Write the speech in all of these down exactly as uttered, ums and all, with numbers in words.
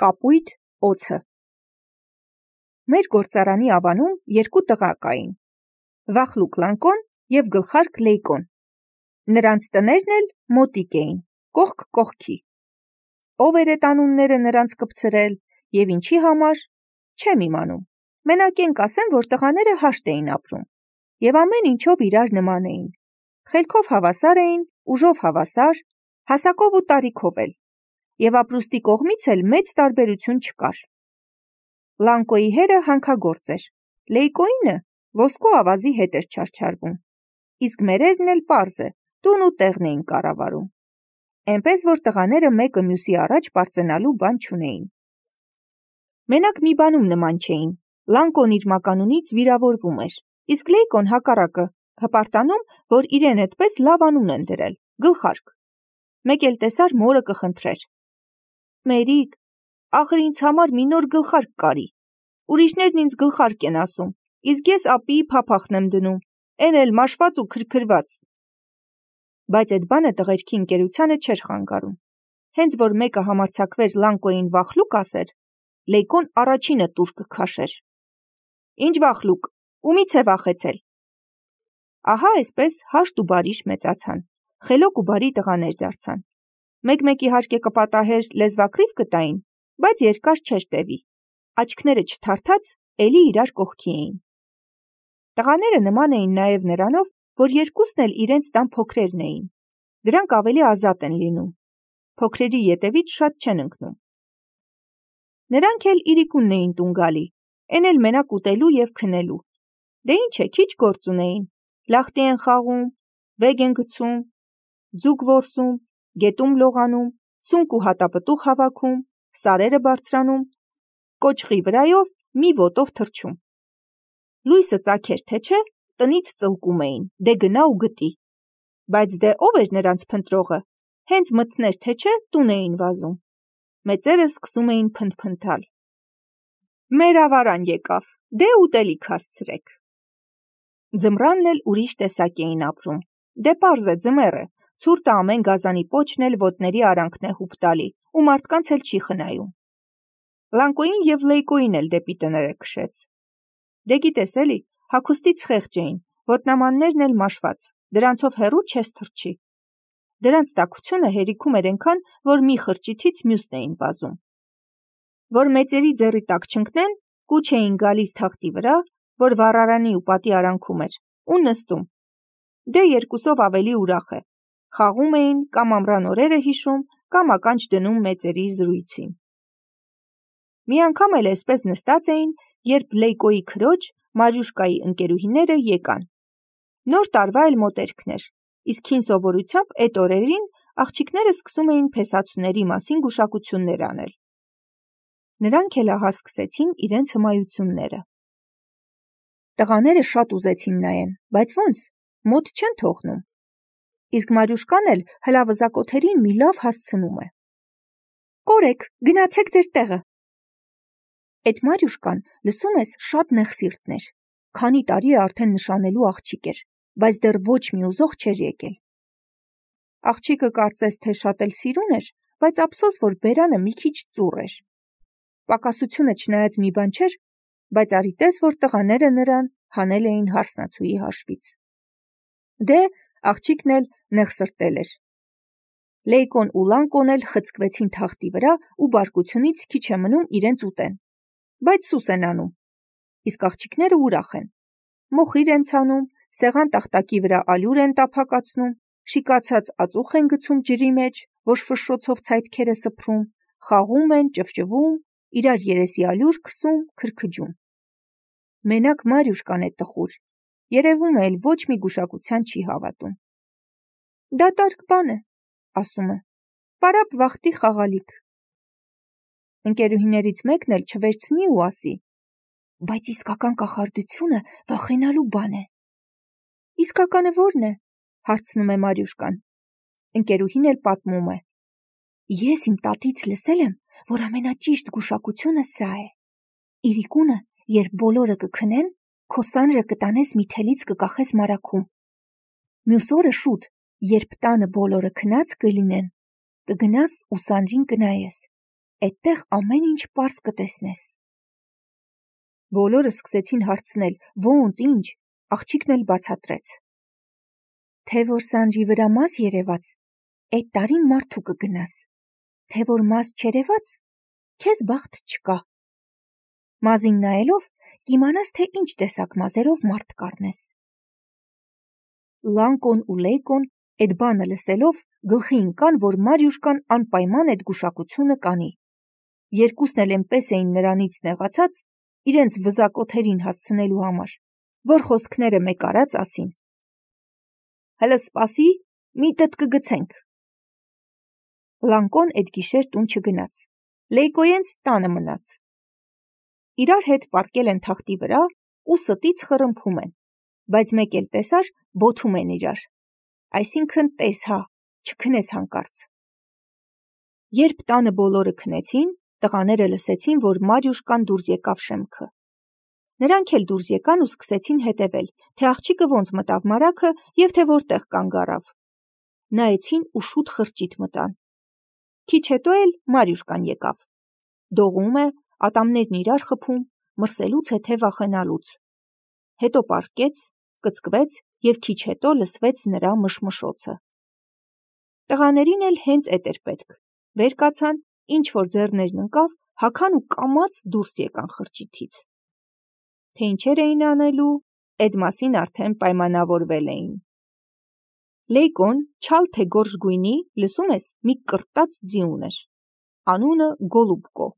Կապույտ օձը։ Մեր գործարանի ավանում երկու տղա կային՝ Վախլուկ Լանկոն և Գլխարկ Լեյկոն։ Նրանց տներն էլ մոտիկ էին, կողք կողքի։ Ով էր էդ անունները նրանց կպցրել և ինչի համար, չեմ իմանում։ Մենակ էնք ասեմ, որ տղաները հաշտ էին ապրում և ամեն ինչով իրար նման էին։ Խելքով հավասար էին, ուժով հավասար, հասակով ու տարիքով էլ, և ապրուստի կողմից էլ մեծ տարբերություն չկար։ Լանկոյի հերը հանքագործ էր, Լեյկոյինը ոսկու ավազի հետ էր չարչարվում, իսկ մերերն էլ պարզ է, տուն ու տեղն էին կառավարում, էնպես որ տղաները մեկը մյուսի առաջ պարծենալու բան չունեին։ Մենակ մի բանում նման չէին, Լանկոն իր մականունից վիրավորվում էր, իսկ Լեյկոն հակառակը հպարտանում, որ իրեն էդպես լավ անուն են դրել՝ Գլխարկ։ Մեկ էլ տեսար մորը կխնդրեր. «Մերիկ, ախր ինձ համար մի նոր գլխարկ կարի, ուրիշներն ինձ Գլխարկ են ասում, իսկ ես ապիի փափախն եմ դնում, էն էլ մաշված ու քրքրված»։ Բայց էդ բանը տղերքի ընկերությանը չէր խանգարում։ Հենց որ մեկը համարձակվեր Լանկոյին Վախլուկ ասեր, Լեյկոն առաջինը տուր կքաշեր։ «Ինչ Վախլուկ, ումից է վախեցել»։ Ահա այսպես հաշտ ու բարիշ մեծացան, խելոք ու բարի տղաներ դարձան։ Մեկ-մեկ իհարկե կպատահեր լեզվակռիվ կտային, բայց երկար չէր տևի, աչքները չթարթած էլի իրար կողքի էին։ Տղաները նման էին նաև նրանով, որ երկուսն էլ իրենց տան փոքրերն էին, դրանք ավելի ազատ են լինում, փոքրերի ետևից շատ չեն ընկնում։ Նրանք էլ իրիկունն էին տուն գալի, էն էլ մենակ ուտելու և քնելու։ Դե ինչ է, քիչ գործ ունեին, լախտի են խաղում, վեգ են գցում, ձուկ որսում, գետում լողանում, սունկ ու հատապտուղ հավաքում, սարերը բարձրանում, կոճղի վրայով մի ոտով թռչում։ Լույսը ծագեր թե չէ, տնից ծլկում էին, դե գնա ու գտի։ Բայց դե ով էր նրանց փնտրողը, հենց մտներ թե չէ, տուն էին վազում։ Մեծերը սկսում էին փնթփնթալ. «Մեր ավարան եկավ, դե ուտելիք հասցրեք»։ Ձմռանն էլ ուրիշ տեսակ էին ապրում, դե պարզ է ձմեռ է, ցուրտը ամեն գազանի պոչն էլ ոտների արանքն է հուպ տալի ու մարդկանց էլ չի խնայում։ Լանկոյին և Լեյկոյին էլ դեպի տները քշեց։ Դե գիտես էլի, հագուստից խեղճ էին, ոտնամաններն էլ մաշված, դրանցով հեռու չես թռչի։ Դրանց տաքությունը հերիքում էր էնքան, որ մի խրճիթից մյուսն էին վազում։ Որ մեծերի ձեռի տակ չընկնեն, կուչ էին գալիս թղթի վրա, որ վառարանի ու պատի արանքում էր, ու նստում։ Դե երկուսով ավելի ուրախ է, խաղում էին, կամ ամռան օրերը հիշում, կամ ականջ դնում մեծերի զրույցին։ Մի անգամ էլ էսպես նստած էին, երբ Լեյկոյի քրոջ, Մարյուշկայի ընկերուհիները եկան։ Նոր տարվա էլ մոտերքն էր, իսկ հին սովորությամբ էդ օրերին աղջիկները սկսում էին փեսացուների մասին գուշակություններ անել։ Նրանք էլ ահա սկսեցին իրենց հմայությունները։ Տղաները շատ ուզեցին նայեն, բայց ոնց, մոտ չեն թողնում։ Իսկ Մարյուշկան էլ հլավզակոթերին մի լավ հասցնում է։ «Կորեք, գնացեք ձեր տեղը»։ Էդ Մարյուշկան, լսում ես, շատ նեղսիրտն էր, քանի տարի է արդեն նշանելու աղջիկ էր, բայց դեռ ոչ մի ուզող չէր եկել։ Աղջիկը կարծես թե շատ էլ սիրուն էր, բայց ափսոս, որ բերանը մի քիչ ծուռ էր։ Պակասությունը չնայած մի բան չէր, բայց արի տես, որ տղաները նրան հանել էին հարսնացուի հաշվից։ Դե, աղջիկն էլ նեղսրտել էր։ Լեյկոն ու Լանկոն էլ խցկվեցին թախտի վրա ու բարկությունից քիչ է մնում իրենց ուտեն, բայց սուս են անում, իսկ աղջիկները ուրախ են։ Մոխիր են ցանում, սեղան տախտակի վրա ալյուր են տափակացնում, շիկացած ածուխ են գցում ջրի մեջ, որ ֆշշոցով ցայտքեր է սփռում, խաղում են, ճվճվում, իրար երեսի ալյուր քսում, քրքջում։ Մենակ Մարյուշկան է տխուր, երևում է էլ ոչ մի գուշակության չի հավատում։ «Դատարկ բան է», ասում է, «պարապ վախտի խաղալիք»։ Ընկերուհիներից մեկն էլ չվերցնի ու ասի. «Բայց իսկական կախարդությունը վախենալու բան է»։ «Իսկականը ո՞րն է», հարցնում է Մարյուշկան։ Ընկերուհին էլ պատմում է. «Ես իմ տատից լսել եմ, որ ամենաճիշտ գուշակությունը սա է. իրիկունը, երբ բոլորը կքնեն, քո սանրը կտանես մի թելից կկախես մարաքում։ Մյուս օրը շուտ, երբ տանը բոլորը քնած կլինեն, կգնաս ու սանրին կնայես, Էդտեղ ամեն ինչ պարզ կտեսնես։ Բոլորը սկսեցին հարցնել, ոնց, ինչ, աղջիկն էլ բացատրեց։ Թե որ Սանրի վրա մազ երևաց, այդ տարին մարդու կգնաս, թե որ մազ չերևաց, քեզ բախտ չկա։ Մազին նայելով կիմանաս, թե ինչ տեսակ մազերով մարդ կառնես։ Լանկոն ու Լեյկոն այդ բանը լսելով գլխի ընկան, որ Մարյուշկան անպայման այդ գուշակությունը կանի։ Երկուսն էլ այնպես էին նրանից նեղացած, իրենց վզակոթերին հասցնելու համար, որ խոսքները մեկ արած ասին. Հələ սպասի, միտդ կգցենք։ Լանկոն այդ գիշեր տուն չգնաց, Լեյկոյենց տանը մնաց։ Իրար հետ պառկել են թախտի վրա ու ստից խռմփում են, բայց մեկ էլ տեսար բոթում են իրար, այսինքն տես հա, չքնես հանկարծ։ Երբ տանը բոլորը քնեցին, տղաները լսեցին, որ Մարյուշկան դուրս եկավ շեմքը։ Նրանք էլ դուրս եկան ու սկսեցին հետևել, թե աղջիկը ոնց մտավ մարագը և թե որտեղ կանգ առավ։ Նայեցին ու շուտ խրճիթ մտան։ Քիչ հետո էլ Մարյուշկան եկավ։ Դողում է, ատամներն իրար խփում, մրսելուց հետո վախենալուց։ Հետո պառկեց, կծկվեց և քիչ հետո լսվեց նրա մշմշոցը։ Տղաներին էլ հենց էդ էր պետք։ Վեր կացան, ինչ որ ձեռներն ընկավ, հագան ու կամաց դուրս եկան խրճիթից։ Թե ինչեր էին անելու, այդ մասին արդեն պայմանավորվել էին։ Լեյկոն չալ թե գորշ գույնի, լսում ես, մի կրտած ձի ուներ։ Անունը Գոլուբկո։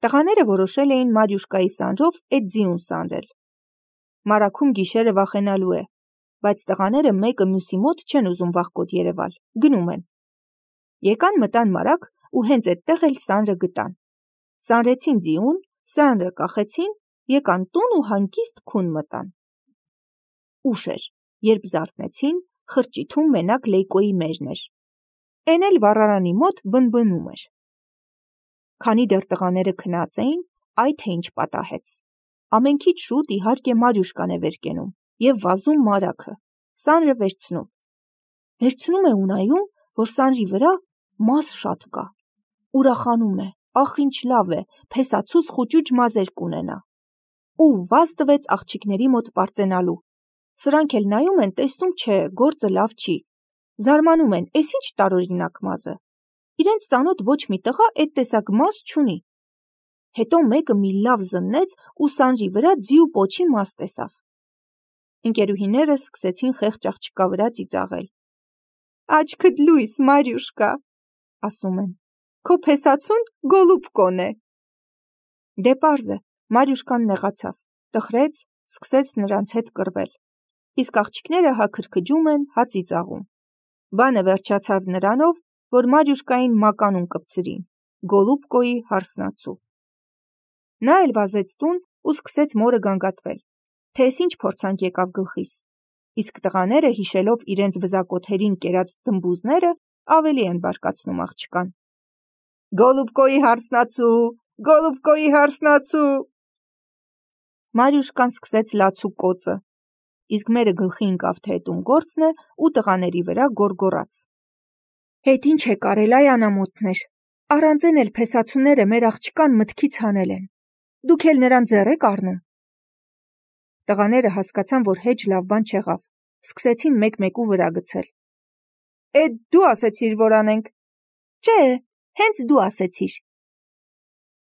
Տղաները որոշել էին Մարյուշկայի սանրով այդ ձիուն սանրել։ Մարագում գիշերը վախենալու է, բայց տղաները մեկը մյուսի մոտ չեն ուզում վախկոտ երևալ, գնում են։ Եկան մտան մարագ ու հենց այդտեղ էլ սանրը գտան։ Սանրեցին ձիուն, սանրը կախեցին, եկան տուն ու հանգիստ քուն մտան։ Ուշ էր, երբ զարթնեցին, խրճիթում մենակ Լեյկոյի մերն էր։ Էն էլ վառարանի մոտ բնբնում էր։ Քանի դեռ տղաները քնած էին, այ թե ինչ պատահեց։ Ամենքից շուտ իհարկե Մարյուշկան է վեր կենում և վազում մարագը, սանրը վերցնում։ Վերցնում է ու նայում, որ սանրի վրա մազ շատ կա։ Ուրախանում է, ախ ինչ լավ է, փեսացուց խուճուճ մազեր կունենա։ Ու վազ տվեց աղջիկների մոտ պարծենալու։ Սրանք էլ նայում են, տեսնում չէ, գործը լավ չի։ Զարմանում են, էս ինչ տարօրինակ մազ է։ Իրենց ծանոթ ոչ մի տղա այդ տեսակ մազ չունի։ Հետո մեկը մի լավ զննեց ու սանրի վրա ձի ու պոչի մազ տեսավ։ Ընկերուհիները սկսեցին խեղճ աղջկա վրա ծիծաղել։ Աչքդ լույս, Մարյուշկա, ասում են, քո փեսացուն Գոլուբկոն է։ Դե պարզ է, Մարյուշկան նեղացավ, տխրեց, սկսեց նրանց հետ կռվել։ Իսկ աղջիկները հա քրքջում են, հա ծիծաղում։ Բանը վերջացավ նրանով, որ Մարյուշկային մականուն կպցրին, Գոլուբկոյի հարսնացու։ Նա էլ վազեց տուն ու սկսեց մորը գանգատվել, թե էս ինչ փորձանք եկավ գլխիս։ Իսկ տղաները հիշելով իրենց վզակոթերին կերած դմբուզները ավելի են բարկացնում աղջկան։ Գոլուբկոյի հարսնացու, Գոլուբկոյի հարսնացու։ Մարյուշկան սկսեց լացու կոծը, իսկ մերը գլխի ընկավ, թե էդ ում գործն է ու տղաների վրա գոռգոռաց։ Հետ ինչ է կարել այ անամոթներ, առանց են էլ փեսացուները մեր աղջկան մտքից հանել են, դուք էլ նրան ձեռ եք առնում։ Տղաները հասկացան, որ հեչ լավ բան չեղավ, սկսեցին մեկ-մեկու վրա գցել։ Էդ դու ասեցիր, որ անենք։ Չէ, հենց դու ասեցիր։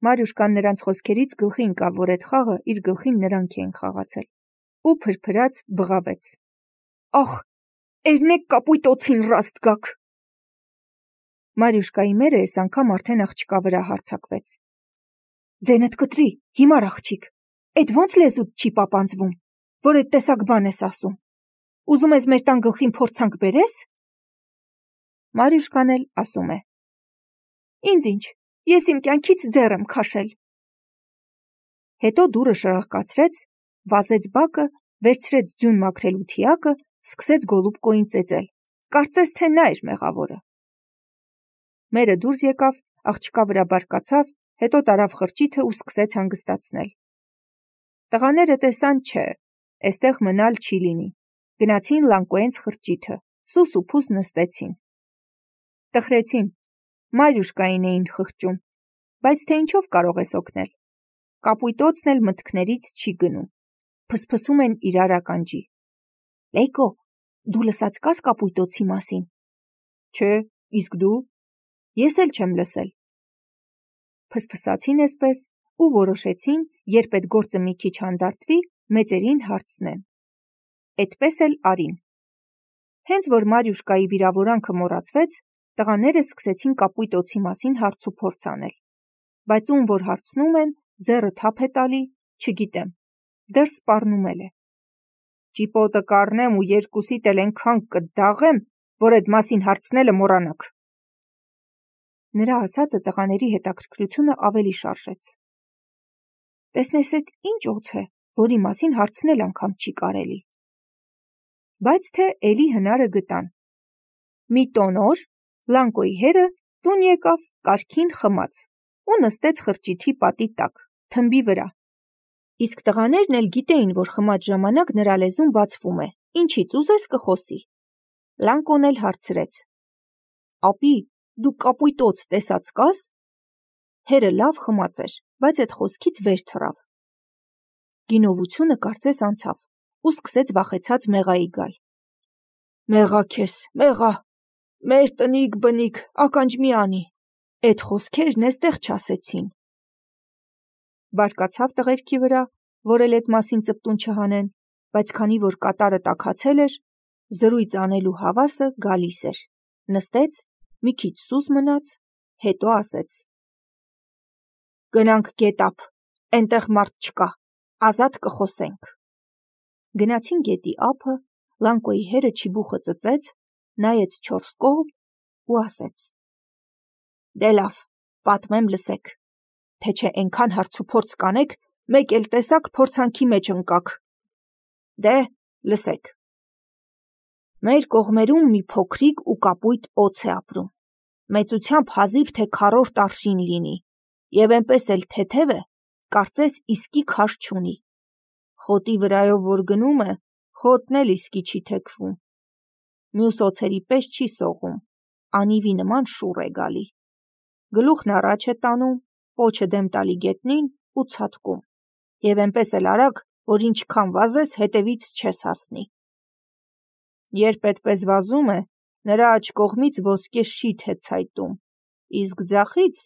Մարյուշկան նրանց խոսքերից գլխի ընկավ, որ այդ խաղը իր գլխին նրանք էին խաղացել, ու փրփրած բղավեց։ Ախ, էրնեք կապույտ օձին ռաստ գաք։ Մարյուշկայի մերը այս անգամ արդեն աղջկա վրա հարձակվեց։ Ձենդ կտրի, հիմար աղջիկ, էդ ոնց լեզուդ չի պապանձվում, որ այդ տեսակ բան ես ասում։ Ուզում ես մեր տան գլխին փորձանք բերես։ Մարյուշկան էլ ասում է. Ինձ ինչ, ես իմ կյանքից ձեռ եմ քաշել։ Հետո դուռը շրախկացրեց, վազեց բակը, վերցրեց ձյուն մաքրելու թիակը, սկսեց Գոլուբկոյին ծեծել, կարծես թե նա էր մեղավորը։ Մերը դուրս եկավ, աղջկա վրա բարկացավ, հետո տարավ խրճիթը ու սկսեց հանգստացնել։ Տղաները տեսան չէ, էստեղ մնալ չի լինի, գնացին Լանկոյենց խրճիթը, սուս ու փուս նստեցին։ Տխրեցին, Մարյուշկային էին խղճում, Բայց թե ինչով կարող ես օգնել։ Կապույտոցն էլ մտքներից չի գնում։ Փսփսում են իրար ականջի։ Լեյկո, դու լսած կաս կապույտոցի մասին։ Չէ, իսկ դու։ Ես էլ չեմ լսել։ Փսփսացին էսպես ու որոշեցին, երբ այդ գործը մի քիչ հանդարտվի, մեծերին հարցնեն։ Էդպես էլ արին։ Հենց որ Մարյուշկայի վիրավորանքը մոռացվեց, տղաները սկսեցին կապույտոցի մասին հարց ու փորձ անել։ Բայց ում որ հարցնում են, ձեռը թափ է տալի, չգիտեմ, դեռ սպառնում էլ է։ Ճիպոտը կառնեմ ու երկուսիդ էլ ենքան կդաղեմ, որ այդ մասին հարցնելը մոռանաք։ Նրա ասածը տղաների հետաքրքրությունը ավելի շարժեց։ Տեսնես էդ ինչ օձ է, որի մասին հարցնել անգամ չի կարելի։ Բայց թե էլի հնարը գտան։ Մի տոն օր Լանկոյի հերը տուն եկավ կարգին խմած ու նստեց խրճիթի պատի տակ, թմբի վրա։ Իսկ տղաներն էլ գիտեին, որ խմած ժամանակ նրա լեզուն բացվում է, ինչից ուզես կխոսի։ Լանկոն էլ հարցրեց. Ապի, դու կապույտոց տեսած կաս։ Հերը լավ խմած էր, բայց այդ խոսքից վեր թռավ։ Գինովությունը կարծես անցավ ու սկսեց վախեցած մեղայի գալ։ Մեղա քեզ, մեղա, մեր տնիկ բնիկ, ականջ մի անի, այդ խոսքերն էստեղ չասեցին։ Բարկացավ տղերքի վրա, որ էլ այդ մասին ծպտուն չհանեն, բայց քանի որ կատարը տաքացել էր, զրույց անելու հավասը գալիս էր, նստեց, մի քիչ սուս մնաց, հետո ասեց. Գնանք գետապ, այնտեղ մարդ չկա, ազատ կխոսենք։ Գնացին գետի ափը, Լանկոյի հերը չիբուխը ծծեց, նայեց չորս կողմ ու ասեց. Դե լավ, պատմեմ լսեք, թե չէ ենքան հարց ու փորձ կանեք, մեկ էլ տեսակ փորձանքի մեջ ընկաք։ Դե լսեք։ Մեր կողմերում մի փոքրիկ ու կապույտ օձ է ապրում, մեծությամբ հազիվ թե քառորդ արշին լինի, եւ այնպես էլ թեթև է, կարծես իսկի քաշ չունի։ Խոտի վրայով որ գնում է, խոտն էլ իսկի չի թեքվում։ Մյուս օձերի պես չի սողում, անիվի նման շուռ է գալի։ Գլուխն առաջ է տանում, պոչը դեմ տալի գետնին ու ցատկում, եւ այնպես էլ արագ, որ ինչքան վազես, հետևից չես հասնի։ Երբ այդպես վազում է, նրա աջ կողմից ոսկե շիթ է ցայտում, իսկ ձախից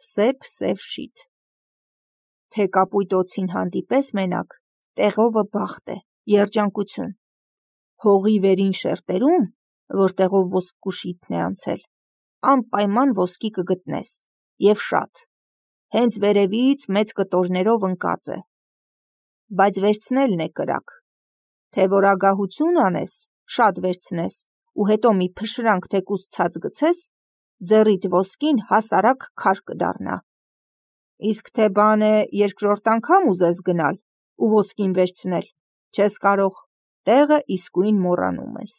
սև-սև շիթ։ Թե կապույտ օձին հանդիպես մենակ, տեղովը բախտ է, երջանկություն։ Հողի վերին շերտերում, որտեղով ոսկու շիթն է անցել, անպայման ոսկի կգտնես, եւ շատ, հենց վերևից մեծ կտորներով ընկած է։ Բայց վերցնելն է կրակ, թե որ ագահություն անես, շատ վերցնես, ու հետո մի փշրանք թեկուզ ցած գցես, ձեռիդ ոսկին հասարակ քար կդառնա։ Իսկ թե բան է երկրորդ անգամ ուզես գնալ ու ոսկին վերցնել, չես կարող, տեղը իսկույն մոռանում ես։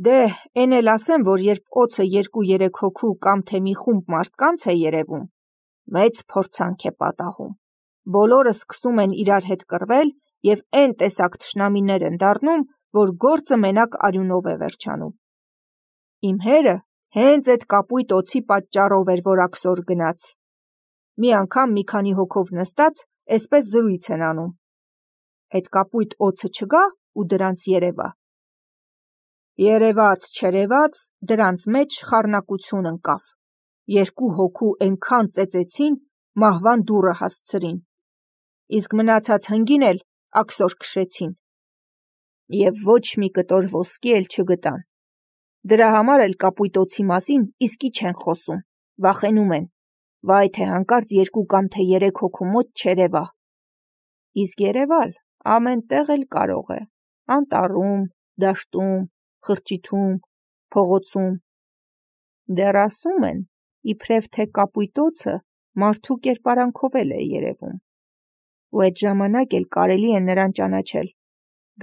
Դե, էն էլ ասեմ, որ երբ օձը երկու-երեք հոգու կամ թե մի խումբ մարդկանց է երևում, մեծ փորձանք է պատահում։ Բոլորը սկսում են իրար հետ կռվել եւ այն տեսակ թշնամիներ են դառնում, որ գործը մենակ արյունով է վերջանում։ Իմ հերը հենց այդ կապույտ օձի պատճառով էր, որ աքսոր գնաց։ Մի անգամ մի քանի հոգով նստած, այսպես զրույց են անում. այդ կապույտ օձը չգա ու դրանց երևա։ Երևաց, չերևաց, դրանց մեջ խառնակություն ընկավ։ Երկու հոգու այնքան ծեծեցին, մահվան դուռը հասցրին։ Իսկ մնացած հնգին էլ աքսոր քշեցին։ Եվ ոչ մի կտոր ոսկի էլ չգտան։ Դրա համար էլ կապույտ օձի մասին իսկի չեն խոսում, վախենում են, վայ թե հանկարծ երկու կամ թե երեք հոգու մոտ չերևա։ Իսկ երևալ ամեն տեղ էլ կարող է, անտառում, դաշտում, խրճիթում, փողոցում։ Դեռ ասում են, իբրև թե կապույտ օձը մարդու կերպարանքով էլ է երևում։ Ու այդ ժամանակ էլ կարելի է նրան ճանաչել,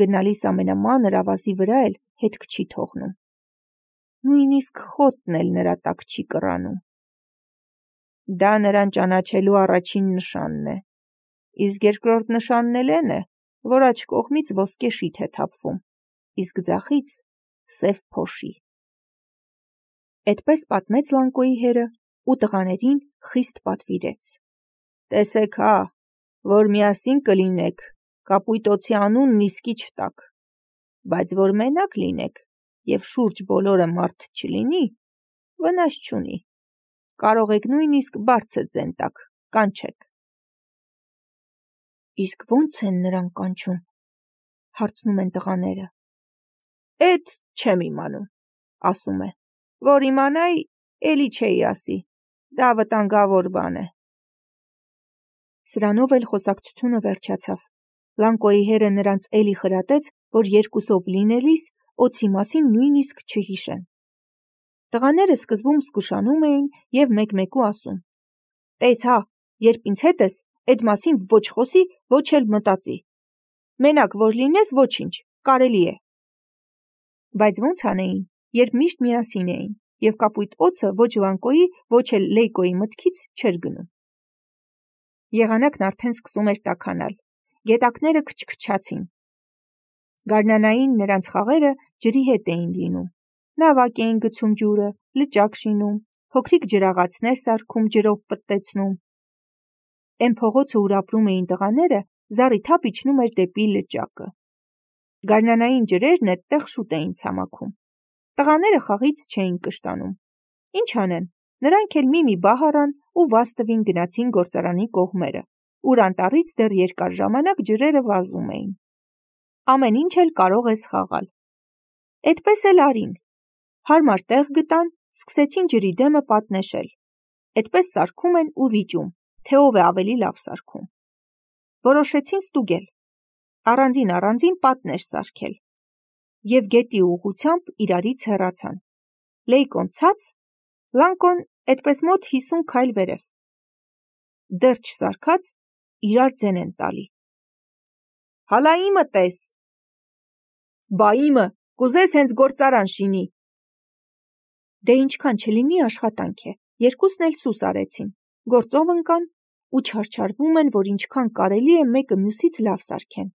գնալիս ամենամանր ավազի վրա էլ հետք չի թողնում։ Նույնիսկ խոտն էլ նրա տակ չի կռանում։ Դա նրան ճանաչելու առաջին նշանն է, իսկ երկրորդ նշանն էլ էն է, որ աջ կողմից ոսկե շիթ է թափվում, իսկ ձախից սև փոշի։ Էդպես պատմեց Լանկոյի հերը ու տղաներին խիստ պատվիրեց. «Տեսեք հա, որ միասին կլինեք, կապույտոցի անունն իսկի չտաք, բայց որ մենակ լինեք և շուրջ բոլորը մարդ չլինի, վնաս չունի, կարող եք նույնիսկ բարձր ձեն տաք, կանչեք»։ «Իսկ ո՞նց են նրան կանչում», հարցնում են տղաները։ «Էդ չեմ իմանում», ասում է, «որ իմանայի, էլի չէի ասի, դա վտանգավոր բան է»։ Սրանով էլ խոսակցությունը վերջացավ։ Լանկոյի հերը նրանց էլի խրատեց, որ երկուսով լինելիս օձի մասին նույնիսկ չհիշեն։ Տղաները սկզբում զգուշանում էին և մեկ-մեկու ասում. «Տես հա, երբ ինձ հետ ես, էդ մասին ոչ խոսի, ոչ էլ մտածի։ Մենակ որ լինես, ոչինչ, կարելի է»։ Բայց ո՞նց անեին, երբ միշտ միասին էին, և կապույտ օձը ոչ Լանկոյի, ոչ էլ Լեյկոյի մտքից չէր գնում։ Եղանակն արդեն սկսում էր տաքանալ, գետակները քչքչացին։ Գարնանային նրանց խաղերը ջրի հետ էին լինում, նավակ էին գցում ջուրը, լճակ շինում, փոքրիկ ջրաղացներ սարքում ջրով պտտեցնում։ Էն փողոցը, ուր ապրում էին տղաները, զառիթափ իջնում էր դեպի լճակը։ Գարնանային ջրերն էդտեղ շուտ էին ցամաքում։ Տղաները խաղից չէին կշտանում։ Ինչ անեն, նրանք էլ մի-մի բահ առան ու վազ տվին գնացին գործարանի կողմերը, ուր անտառից դեռ երկար ժամանակ ջրերը վազում էին։ Ամեն ինչ էլ կարող ես խաղալ։ Էդպես էլ արին։ Հարմար տեղ գտան, սկսեցին ջրի դեմը պատնեշել։ Էդպես սարքում են ու վիճում, թե ով է ավելի լավ սարքում։ Որոշեցին ստուգել, առանձին-առանձին պատնեշ սարքել և գետի ուղղությամբ իրարից հեռացան։ Լեյկոն ցած, Լանկոն էդպես մոտ հիսուն քայլ վերև։ Դեռ չսարքած, իրար ձեն են տալի։ «Հալա իմը տես»։ «Բա իմը, կուզես հենց գործարան շինի»։ Դե ինչքան չլինի աշխատանք է, երկուսն էլ սուս արեցին, գործով ընկան ու չարչարվում են, որ ինչքան կարելի է մեկը մյուսից լավ սարքեն։